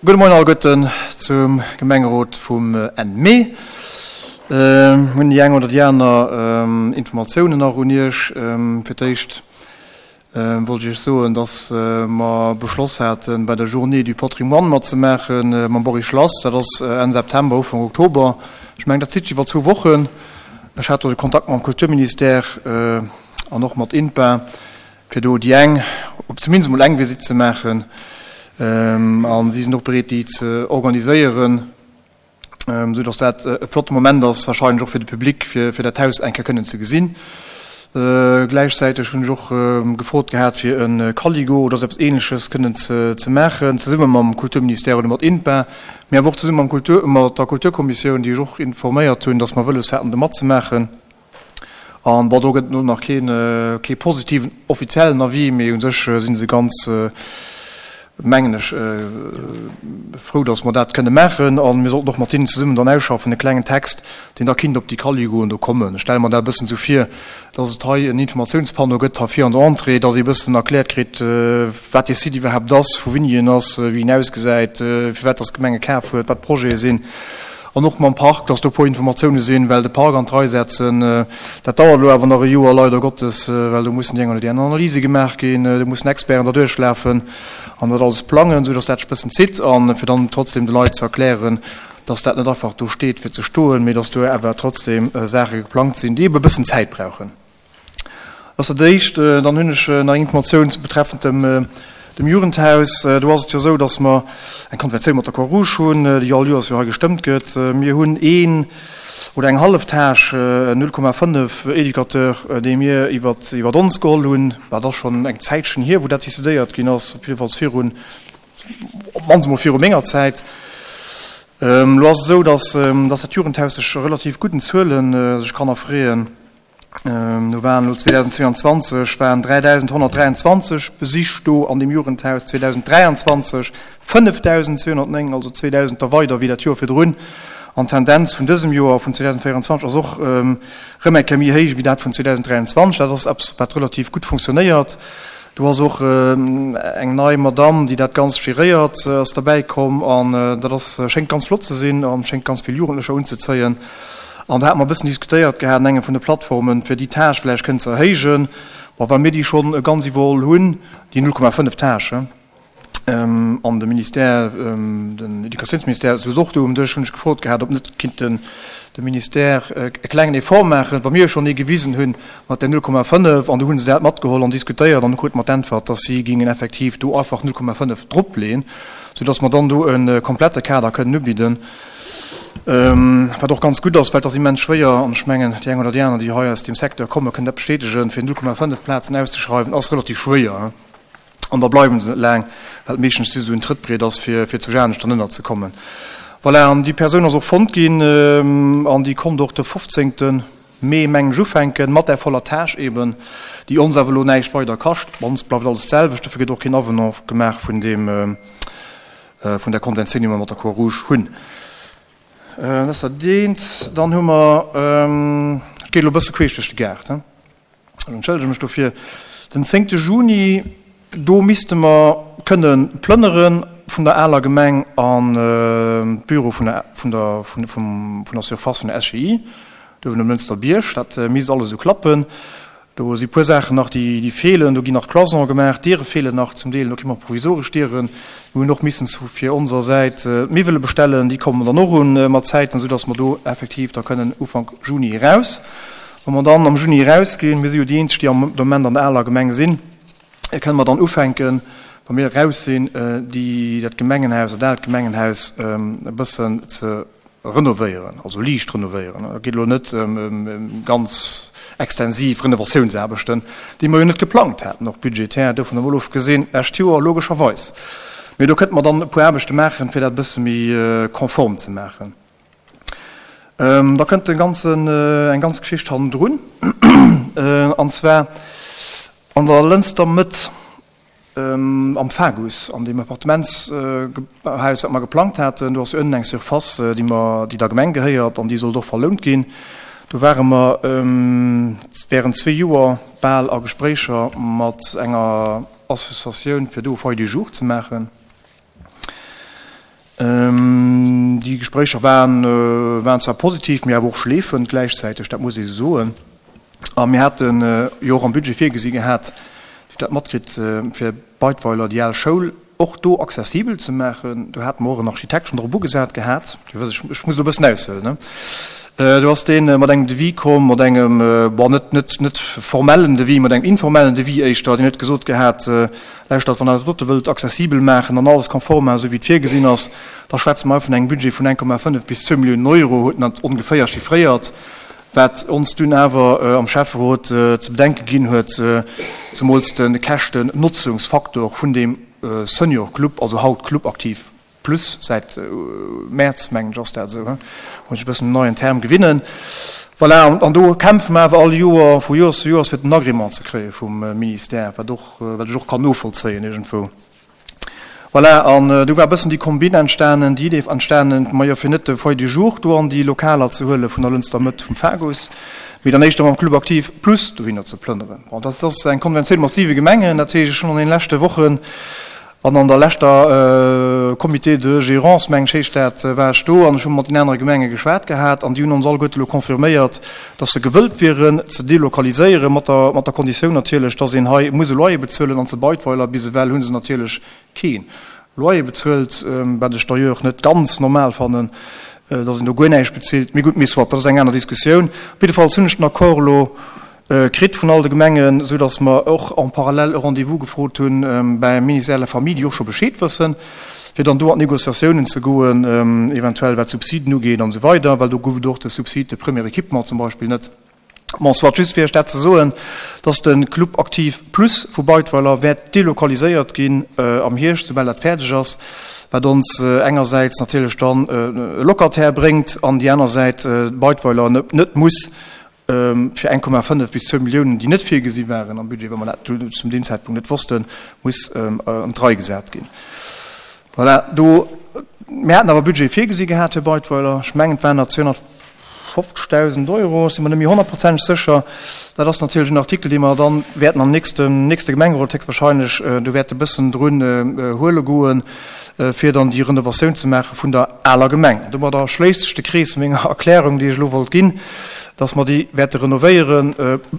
Gudde Moien alleguerten zum Gemengerot vum Enn Mee. Hunn déi eng oder déi aner Informatiounen nach un Iech. Fir d'éischt wollt ech Iech soen, dass mer beschloss haten, bei der Journée du Patrimoine matzemaache mam Boris Schlass. Dat ass Enn September, Ufank Oktober. Ech mengen, dat zitt sech iwwer zwou Wochen. Ech hat do de Kontakt mam Kulturministère an och mat INPA. fir do déi eng, op zumindest emol eng Visitt ze maachen, a si sinn och bereet, déi ze organiséieren, esou datt dat e flotte Moment ass, wahrscheinlech och fir de Public, fir fir dat Haus eng Kéier kënnen ze gesinn. Gläichzäiteg hunn ech och gefrot gehat, fir e Caligo oder esou eppes Ähnleches kënnen ze ze maachen, zesumme mam Kulturministère oder mat INPA, mee awer och zesumme mam Kultur, mat der Kulturkommissioun, déi ech och informéiert hunn, datt mer wëlles haten, do matzemaachen. An bon, do gëtt et elo nach keen, kee positiven offiziellen Avis, mee u sech si se ganz, mengen ech, frou, datt mer dat kënne maachen. A mir sollten och mat hinnen zesummen dann ausschaffen e klengen Text, deen da kinnt op déi Caligoen do kommen. Ech stelle mer dat e bëssen esou vir, datt et hei en Informatiounspanneau gëtt, hei vir an der Entrée, datt ee e bëssen erkläert kritt, wat dee Site iwwerhaapt ass, vu wéini en ass, wéi en ausgesäit, firwat datt d'Gemeng e kaf huet, wat d'Projete sinn. An och mam Park, dass do e puer Informatioune sinn, well de Park an d'Rei setzen, dat dauert elo awer nach e Joer, leider Gottes, well do mussen déi eng oder déi aner Analyse gemaach ginn, do mussen Experten derduerch lafen an dat alles plangen, esou dass dat sech e bëssen zitt. A fir dann trotzdem de Leit ze erklären, dass dat net einfach do steet fir ze stoen, mee dass do awer trotzdem Saache geplangt sinn, déi ebe e bëssen Zäit brauchen. Dat ass dat Éischt. Dann hunn ech nach eng Informatioun betreffend dem dem Jugendhaus. Do ass et jo esou, datt mer eng Konventioun mat der Croix-Rouge hunn, déi all Joers jo hei gestëmmt gëtt. Mir hunn een oder eng hallef Tâche, 0,5 Educateur, dee mir iwwer iwwer ons geholl hunn. Dat ass schonn eng Zäitchen hier, wou dat decidéiert ginn ass, op jiddefalls virun, op d'mannst emol viru menger Zäit. Elo ass et esou, datt datt dat Jugendhaus sech relativ gudden Zuelen sech kann erfreeën. Do waren elo 2022 waren 3.123 Besich do an deem Jugendhaus, 2023 5.209, also 2.000 der weider wéi dat Joer virdrun. An d'Tendenz vun dësem Joer, vun 2024, ass och erëm eng Kéier méi héich wéi dat vun 2023. Dat ass eppes, wat relativ gutt funktionéiert. Do ass och eng nei Madamm, déi dat Ganzt geréiert, ass derbäi komm an dat ass, schéngt ganz flott ze sinn a schéngt ganz vill Jugendlecher unzezéien. An do hate mer e bëssen diskutéiert gehat an engem vun de Plattformen, fir déi Tâche vläicht kënnen ze erhéijen. Bon, well mir déi schonn ganz iwwerholl hunn, déi 0,5 Tâche, an de Ministère, den Educatiounsministère souz och do um Dësch, hunn ech gefrot gehat, ob net kinnt den de Ministère e klengen Effort maachen, wa mir schonn ee gewisen hunn mat där 0,5. An du hu se dat matgeholl an diskutéiert an du krute mer d'Äntwert, dass si gingen effektiv do einfach 0,5 dropleeën, soudass mer dann do e komplette Kader kënnen ubidden. Wat och ganz gutt ass, well et ass immens schwéier, an ech mengen, déi eng oder déi aner, déi hei aus deem Secteur kommen, kënnen dat bestätegen, fir 0,5 Plazen auszeschreiwen, ass relativ schwéier. An da bleiwe se net laang, well et meeschtens just esou en Trëttbriet ass, fir fir zu anescht dann ënnerzekommen. Voilà, an déi Persoun ass och fonnt ginn an déi konnt och de 15. Mee, mengen ech, ufänken mat där voller Tâche eben, déi ons awer elo näischt weider kascht. Bei ons bleift alles d'selwecht, dofir gëtt och keen Avenant gemaach vun deem, vun där Konventioun, déi mer mat der Croix-Rouge hunn. Dat ass dat eent. Dann hu mer, ech géi elo e bësse queesch duerch de Gaart, ech entschëllege mech dofir, den zéngte Juni, do misste mer kënne plënnere vun der aler Gemeng an d'Büro vun der, vun der, vun der Surface vun der SGI, do uewen um Lënster Bierg. Dat misst alles esou klappen. Do si puer Saachen nach, déi feelen. Do ginn nach Cloisone gemaach, Diere feelen nach zum Deel. Do kritt mer provisoresch Dieren. Mir hunn och missen fir onser Säit d'Miwwele bestellen. Déi kommen dann och un mat Zäiten, soudass mer do effektiv da kënnen Ufank Juni eraus. Wa mer dann am Juni erausginn, mir si jo déi eenzeg, déi am Moment an der aler Gemeng sinn, kënne mer dann ufänken, wa mir eraus sinn, déi, dat Gemengenhaus, dat aalt Gemengenhaus e bëssen ze renovéieren, also liicht renovéieren. Et geet elo net ëm ganz extensiv Renovatiounsaarbechten, déi mer jo net geplangt haten, och budgetär, dovun emol ofgesinn, d'lescht Joer logescherweis. Mee do kënnte mer dann e puer Aarbechte maachen, fir dat e bësse méi konform ze maachen. Da kënnt e ganzen, eng ganz Geschicht hannendrun, an zwar an der Lënster Mëtt. Am Fagus, an deem Appartementshaus, wat mer geplangt haten, do ass jo ënnen eng Surface, déi mer, déi der Gemeng gehéiert an déi sollt och verlount ginn. Do ware mer während zwee Joer bal a Gespréicher mat enger Associatioun, fir do e Foyer du jour ze maachen. Gespréicher waren, waren zwar positiv, mee awer och schleefend gläichzäiteg, dat muss ee sou soen. A mir hate jo och am Budget virgesi gehat, Dir hutt dat matkritt, fir Beidweiler déi al Schoul och do accessibel ze maachen. Do hate mer och en Architekt schonn drop ugesat gehat. Dir wësst, ech muss elo e bëssen aushuelen, ne? Do ass dee mat engem Devis komm, mat engem, bon, net, net, net formellen Devis, mat engem informellen Devis éischter. Deen huet gesot gehat, Lauschtert, wann Der dat dote wëllt accessibel maachen an alles konform maachen, esou wéi et virgesinn ass, da schwätze mer hei vun engem Budget vun 1,5 bis 2 Milliounen Euro, huet en dat ongeféier chiffréiert. Wat ons dunn awer am Schäfferot ze bedenke ginn huet, zemools de Käschten-Notzungsfaktor vun deem Senior Club, also haut Club Aktiv Plus, säit Mäerz, mengen ech, ass dat esou, he, muss ech e bëssen un neien Term gewinnen. Voilà, an do kämpfe mer awer all Joer, vu Joers zu Joers, fir den Agrément ze kréie vum Ministère, wat och, wat ech och kann novollzéien iergendwou. Voilà, an du war e bëssen déi Kombinn entstanen, déi Idee entstanen, majo fir net de Foyer du jour do an déi Lokaler ze huele vun der Lënster Mëtt vum Fagus, mee dann éischter mam Club Aktiv Plus dohinner ze plënneren. Bon, dat ass eng Konventioun mat siwe Gemengen, dat heescht, ech hunn an deene leschte Wochen an an der leschter Comité de gérance, meng ech heescht dat, war ech do an ech hu mat den anere Gemenge geschwat gehat an déi hunn ons alleguerte elo confirméiert, dass se gewëllt wieren ze delokaliséieren, mat der, mat der Konditioun natierlech, dass een hei muss e Loyer bezuelen. An zu Beidweiler bis ewell hu se natierlech kee Loyer bezuelt, wat ech d'ailleurs net ganz normal fannen, dass een do guer näischt bezilt. Mee gutt, mee soit, dat ass eng aner Diskussioun. Op jiddefalls hunn ech den Accord elo kritt vun all de Gemengen, esou dass mer och en parallèle e Rendez-vous gefrot hunn beim Ministère de la Famille, déi och scho Bescheed wëssen, fir dann do an d'Négociatiounen ze goen, eventuell wat d'Subsiden ugeet an esou weider, well do gouf et och de Subside de premier équipement zum Beispill net. Bon, soit, just fir Iech dat ze soen, dass de Club Aktiv Plus vu Beidweiler wäert delokaliséiert ginn am Hierscht, soubal dat fäerdeg ass, wat ons engersäits natierlech dann e Locataire bréngt an déi aner Säit Beidweiler net muss fir 1,5 bis 2 Milliounen, déi net virgesi waren am Budget, well mer dat zum deem Zäitpunkt net wossten, muss an d'Rei gesat ginn. Voilà, do, mir haten awer Budget virgesi gehat fir Beidweiler, ech mengen, et waren der 250.000 Euro, ech si mer net méi honnertprozenteg sécher. Dat ass natierlech en Artikel, dee mer dann wäerten am nächsten, nächste Gemengerot héchstwahrscheinlech do wäerte bëssen drun huele goen, fir dann déi Renovatioun ze maache vun der aler Gemeng. An domadder schléisst sech de Krees vu menger Erklärung, déi ech elo wollt ginn, dass mer déi wäerte renovéieren,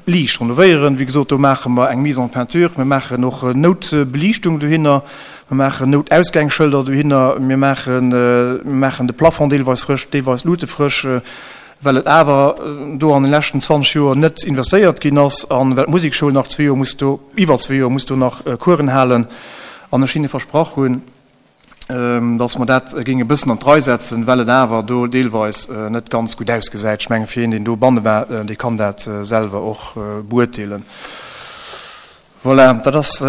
liicht renovéieren. Wéi gesot, do maache mer eng Mise en peinture, mir maachen och Noutbeliichtung dohinner, mir maachen Noutausgängsschëlder dohinner, mir maachen, mir maachen de Plafond deelweis frësch, deelweis d'Lute frësch, well et awer do an de leschten 20 Joer net investéiert ginn ass a well d'Musekschoul nach zwee Joer muss do, iwwer zwee Joer muss do nach Coursen halen an ech hinne versprach hunn, datt mer dat géinge bëssen an d'Rei setzen, well et awer do deelweis net ganz gutt ausgesäit. Ech menge fir een, deen do banne war, dee kann dat selwer och beurteelen. Voilà, dat ass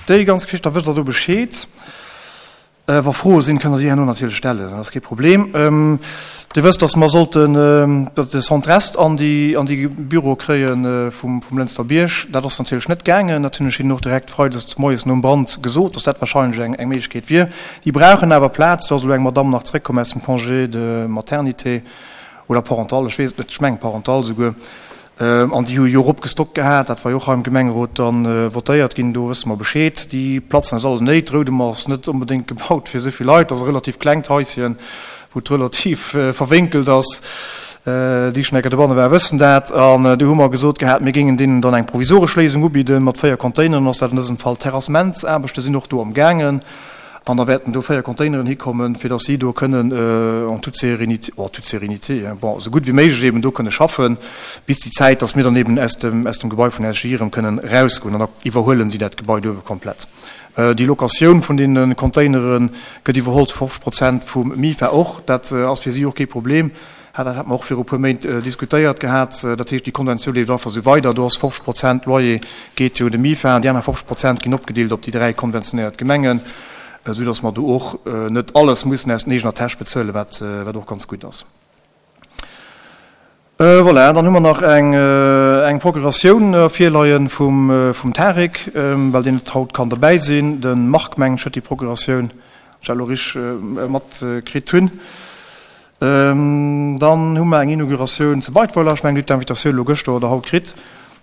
déi ganz Geschicht. Da wësst Der do Bescheed. Wa Froe sinn, kënnt Der déi herno natierlech stellen, dat ass kee Problem. Dir wësst, datt mer sollten de Centre Est an déi an déi Büroe kréie vum vum Lënster Bierg. Dat ass natierlech net gaangen. Dat hunn ech hinnen och direkt freides moies nom Brand gesot, datt dat wahrscheinlech eng eng Méiglechkeet wier. Déi brauchen awer Plaz. Do ass elo eng Madamm nach zréckkomm aus dem Congé de maternité oder parental, ech weess et net, ech mengen parental souguer. An déi hu jo eropgestockt gehat, dat war jo och hei am Gemengerot dann votéiert ginn, do wësse mer Bescheed. Déi Platzen ass alles néit. Roudemer ass net onbedéngt gebaut fir esou vill Leit, dat ass e relativ klengt Haisschen, wou et relativ verwénkelt ass. Déi schonn eng Kéier dobanne waren, wëssen dat. An do hu mer gesot gehat, mir géingen deenen dann eng provisoresch Léisung ubidden mat 4 Containeren ass dat an dësem Fall. D'Terrassementsaarbechte sinn och do am gaangen. An da wäerten do 4 Containeren hikommen, fir dass si do kënnen en toute sérénité, oh, toute sérénité, hein, bon, esou gutt wéi méiglech eben do kënne schaffen, bis déi Zäit, dass mir dann eben aus dem, aus dem Gebai vun SGI erëm kënnen erausgoen. An da iwwerhuelen si dat Gebai do ebe komplett. Déi Locatioun vun deene Containere gëtt iwwerholl zu 50 Prozent vum MIFA och. Dat ass fir si och kee Problem. Dat hate mer och viru puer Méint diskutéiert gehat. Dat heescht, déi Konventioun leeft einfach esou weider. Do ass 50 Prozent Loyer geet jo un de MIFA an déi aner 50 Prozent ginn opgedeelt op déi dräi konventionéiert Gemengen, esou datt mer do och net alles mussen aus den eegener Täsch bezuelen, wat och ganz gutt ass. Voilà, dann hu mer nach eng Procuratioun virleie vum Tarik, well deen net haut kann derbäi sinn. De Marc, mengen ech, huet déi Procuratioun, wann ech dat elo richteg matkritt hunn. Dann hu mer eng Inauguratioun zu Beidweiler. Ech mengen, Dir hutt d'Invitatioun elo gëschter oder haut kritt.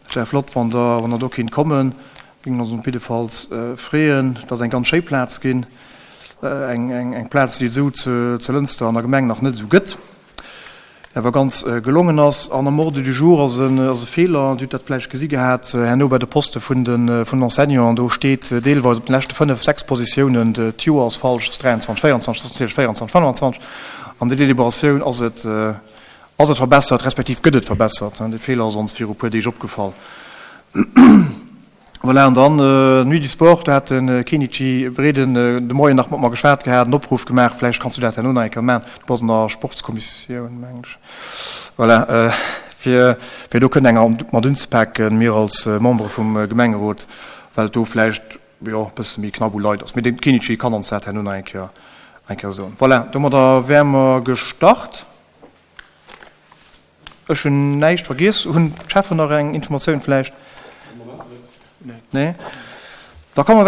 Et wär flott, wann Der, wann Der do kinnt kommen. Géingen ons op jiddefalls freeën. Et ass eng ganz schéi Plaz ginn. Eng Plaz, déi et esou zu Lënster an der Gemeng nach net esou gëtt, déi awer ganz gelongen ass. An am Ordre du jour ass e Feeler, Dir hutt dat vläicht gesi gehat, herno bei de Poste vun den Enseignanten, do steet deelweis op den leschte 5, 6 Positiounen, d'Joer ass falsch, et ass 23, 24, et ass natierlech 24, 25. An der Deliberatioun ass et ass et verbessert, respektiv gëtt et verbessert. Dee Feeler ass ons viru puer Deeg opgefall. Voilà, an dann Nuit du Sport, do hat de Kenichi Breden de Moien nach mat mer geschwat gehat, en Opruff gemaach, vläicht kanns du dat herno nach eng Kéier maachen, du bass an der Sportskommissioun, mengen ech, voilà, fir, fir do kënnen enger mat unzepaken, mir als Membere vum Gemengerot, well et do vläicht, jo, e bësse méi knapp u Leit ass. Mee de Kenichi kann ons dat herno nach eng Kéier, eng Kéier soen. Voilà, domadder wäre mer gestart. Ech hunn näischt vergiess. Hunn d'Cheffen nach eng Informatioun vläicht? Nee. Da komme mer.